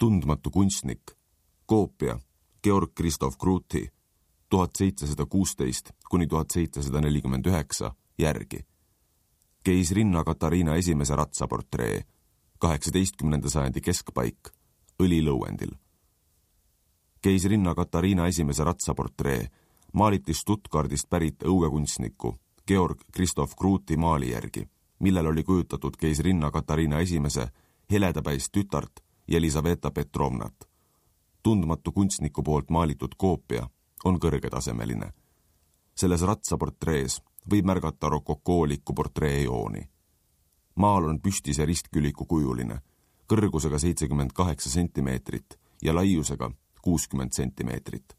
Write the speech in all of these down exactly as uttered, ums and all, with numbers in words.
Tundmatu kunstnik, koopia Georg Christoph Kruuti, tuhat seitsesada kuusteist kuni tuhat seitsesada nelikümmend üheksa järgi. Keisrinna Katariina esimese ratsaportree, kaheksateistkümnenda sajandi keskpaik, õlilõuendil. Keisrinna Katariina esimese ratsaportree maaliti Stuttgardist pärit õuekunstniku Georg Christoph Kruuti maali järgi, millel oli kujutatud keisrinna Katariina esimese heledapäist tütart Jelisaveta Petrovnat. Tundmatu kunstniku poolt maalitud koopia on kõrgetasemeline. Selles ratsaportrees võib märgata rokokooliku portreejooni. Maal on püstise ristküliku kujuline, kõrgusega seitsekümmend kaheksa sentimeetrit ja laiusega kuuskümmend sentimeetrit.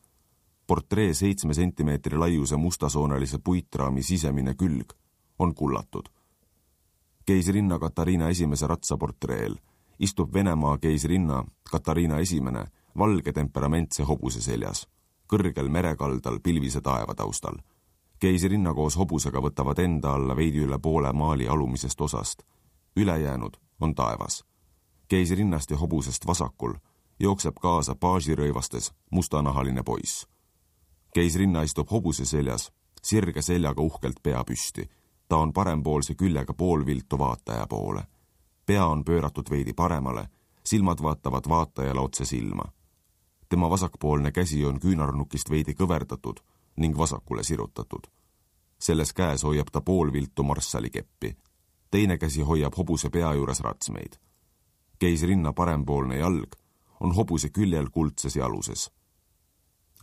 Portree seitsme sentimeetri laiuse mustasoonelise puitraami sisemine külg on kullatud. Keisrinna Katariina esimese ratsaportreel istub Venemaa keisrinna Katariina esimene valge temperamentse hobuse seljas, kõrgel merekaldal pilvise taeva taustal. Keisrinna koos hobusega võtavad enda alla veidi üle poole maali alumisest osast. Ülejäänud on taevas. Keisrinnast ja hobusest vasakul jookseb kaasa paasirõivastes mustanahaline poiss. Keisrinna istub hobuse seljas, sirge seljaga uhkelt pea püsti. Ta on parempoolse küljega poolviltu vaataja poole. Pea on pööratud veidi paremale, silmad vaatavad vaatajale otse silma. Tema vasakpoolne käsi on küünarnukist veidi kõverdatud ning vasakule sirutatud. Selles käes hoiab ta poolviltu marssalikeppi. Teine käsi hoiab hobuse pea juures ratsmeid. Keisrinna parempoolne jalg on hobuse küljel kuldses jaluses.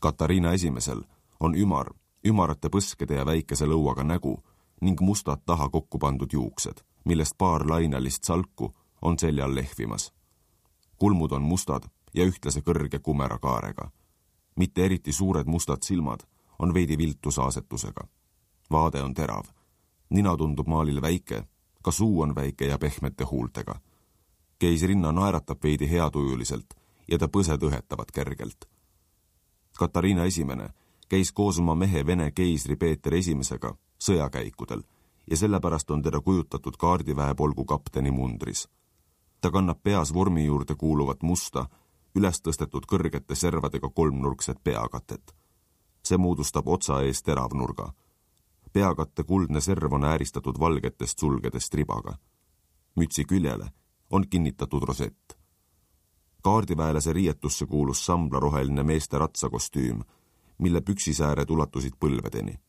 Katariina esimesel on ümar, ümarate põskede ja väikese lõuaga nägu ning mustad taha kokku pandud juuksed, millest paar lainalist salku on seljal lehvimas. Kulmud on mustad ja ühtlase kõrge kumera kaarega. Mitte eriti suured mustad silmad on veidi viltu saasetusega. Vaade on terav. Nina tundub maalil väike, ka suu on väike ja pehmete huultega. Keisrinna naeratab veidi heatujuliselt ja ta põsed õhetavad kergelt. Katariina esimene käis koos oma mehe Vene keisri Peeter esimesega sõjakäikudel ja sellepärast on teda kujutatud kaardiväepolgu kapteni mundris. Ta kannab peas vormi juurde kuuluvat musta, üles tõstetud kõrgete servadega kolmnurkset peakatet. See moodustab otsa ees teravnurga. Peakatte kuldne serv on ääristatud valgetest sulgedest ribaga. Mütsi küljele on kinnitatud rosett. Kaardiväelase riietusse kuulus samblaroheline meeste ratsakostüüm, mille püksisääred ulatusid põlvedeni.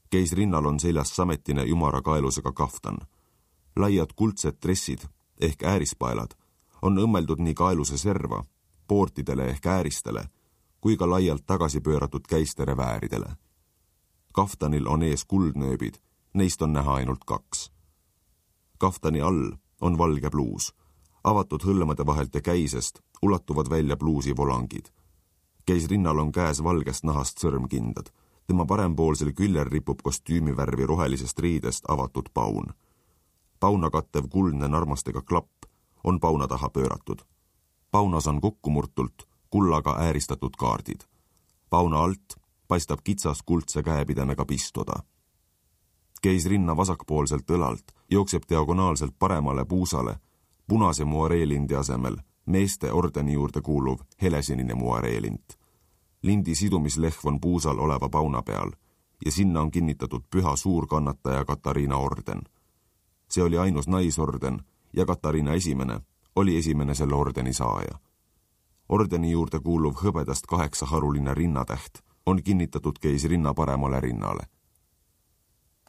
Keisrinnal on seljas sametine ümara kaelusega kaftan. Laiad kuldsed dressid ehk äärispaelad on õmmeldud nii kaeluse serva, poortidele ehk ääristele, kui ka laialt tagasi pööratud käistere vääridele. Kaftanil on ees kuldnööbid, neist on näha ainult kaks. Kaftani all on valge pluus. Avatud hõlmade vahelt ja käisest ulatuvad välja pluusi volangid. Keisrinnal on käes valgest nahast sõrmkindad. Tema parempoolsel küljel ripub kostüümivärvi rohelisest riidest avatud paun. Pauna kattev kuldne narmastega klapp on pauna taha pööratud. Paunas on kokkumurtult kullaga ääristatud kaardid. Pauna alt paistab kitsas kuldse käepidemega pistoda. Keisrinna vasakpoolselt õlalt jookseb diagonaalselt paremale puusale punase muareelindi asemel meeste ordeni juurde kuuluv helesinine muareelint. Lindi sidumislehv on puusal oleva pauna peal ja sinna on kinnitatud püha suurkannataja Katariina orden. See oli ainus naisorden ja Katariina esimene oli esimene selle ordeni saaja. Ordeni juurde kuuluv hõbedast kaheksaharuline rinnatäht on kinnitatud keisrinna paremale rinnale.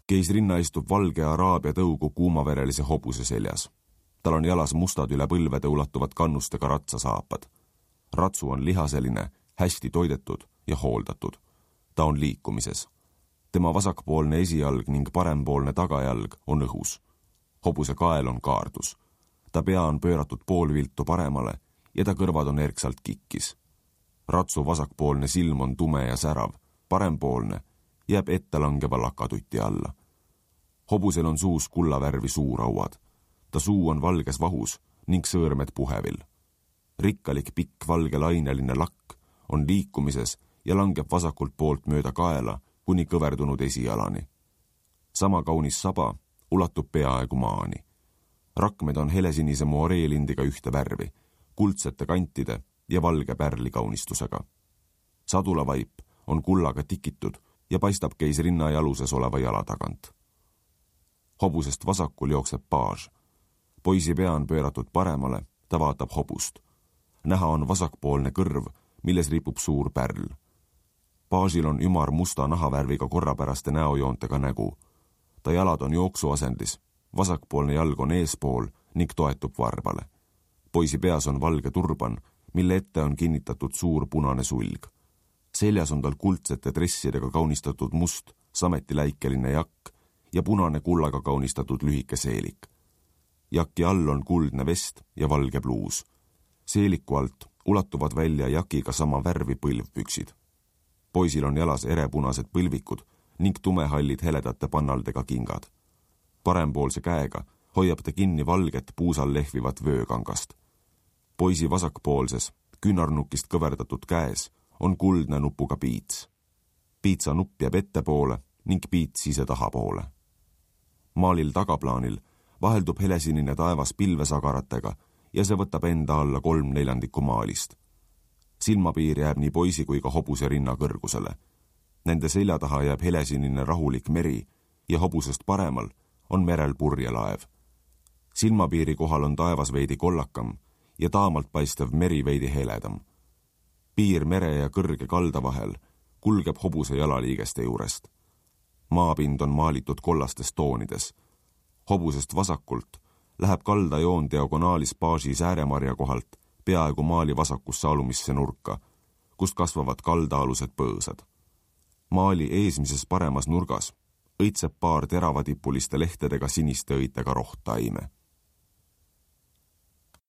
Keisrinna istub valge araabia tõugu kuumaverelise hobuse seljas. Tal on jalas mustad üle põlvede ulatuvad kannustega ratsasaapad. Ratsu on lihaseline, hästi toidetud ja hooldatud. Ta on liikumises. Tema vasakpoolne esijalg ning parempoolne tagajalg on õhus. Hobuse kael on kaardus. Ta pea on pööratud poolviltu paremale ja ta kõrvad on erksalt kikkis. Ratsu vasakpoolne silm on tume ja särav, parempoolne jääb ette langeva lakatuti alla. Hobusel on suus kullavärvi suurauad. Ta suu on valges vahus ning sõõrmed puhevil. Rikkalik pikk valge laineline lakk on liikumises ja langeb vasakult poolt mööda kaela kuni kõverdunud esijalani. Sama kaunis saba ulatub peaaegu maani. Rakmed on helesinise muareelindiga ühte värvi. kuldsete kantide ja valge pärlikaunistusega. Sadulavaip on kullaga tikitud ja paistab käis rinna jaluses oleva jala tagant. Hobusest vasakul jookseb paaž. Poisi pea on pööratud paremale, ta vaatab hobust. Näha on vasakpoolne kõrv, milles ripub suur pärl. Paažil on ümar musta nahavärviga korrapäraste näojoontega nägu. Ta jalad on jooksuasendis, vasakpoolne jalg on eespool ning toetub varvale. Poisi peas on valge turban, mille ette on kinnitatud suur punane sulg. Seljas on tal kuldsete dressidega kaunistatud must, sametiläikeline jakk ja punane kullaga kaunistatud lühike seelik. Jaki all on kuldne vest ja valge pluus. Seeliku alt ulatuvad välja jakiga sama värvi põlvpüksid. Poisil on jalas erepunased põlvikud ning tumehallid heledate pannaldega kingad. Parempoolse käega hoiab ta kinni valget puusal lehvivat vöökangast. Poisi vasakpoolses, küünarnukist kõverdatud käes on kuldne nupuga piits. Piitsa nupp jääb ettepoole ning piits ise tahapoole. Maalil tagaplaanil vaheldub helesinine taevas pilvesagaratega ja see võtab enda alla kolm neljandikku maalist. Silmapiir jääb nii poisi kui ka hobuse rinna kõrgusele. Nende selja taha jääb helesinine rahulik meri ja hobusest paremal on merel purjelaev. Silmapiiri kohal on taevas veidi kollakam ja taamalt paistev meri veidi heledam. Piir mere ja kõrge kalda vahel kulgeb hobuse jalaliigeste juurest. Maapind on maalitud kollastes toonides. Hobusest vasakult läheb kaldajoon diagonaalis paaži sääremarja kohalt peaaegu maali vasakusse alumisse nurka, kust kasvavad kaldaalused põõsad. Maali eesmises paremas nurgas õitseb paar teravadipuliste lehtedega siniste õitega rohttaime.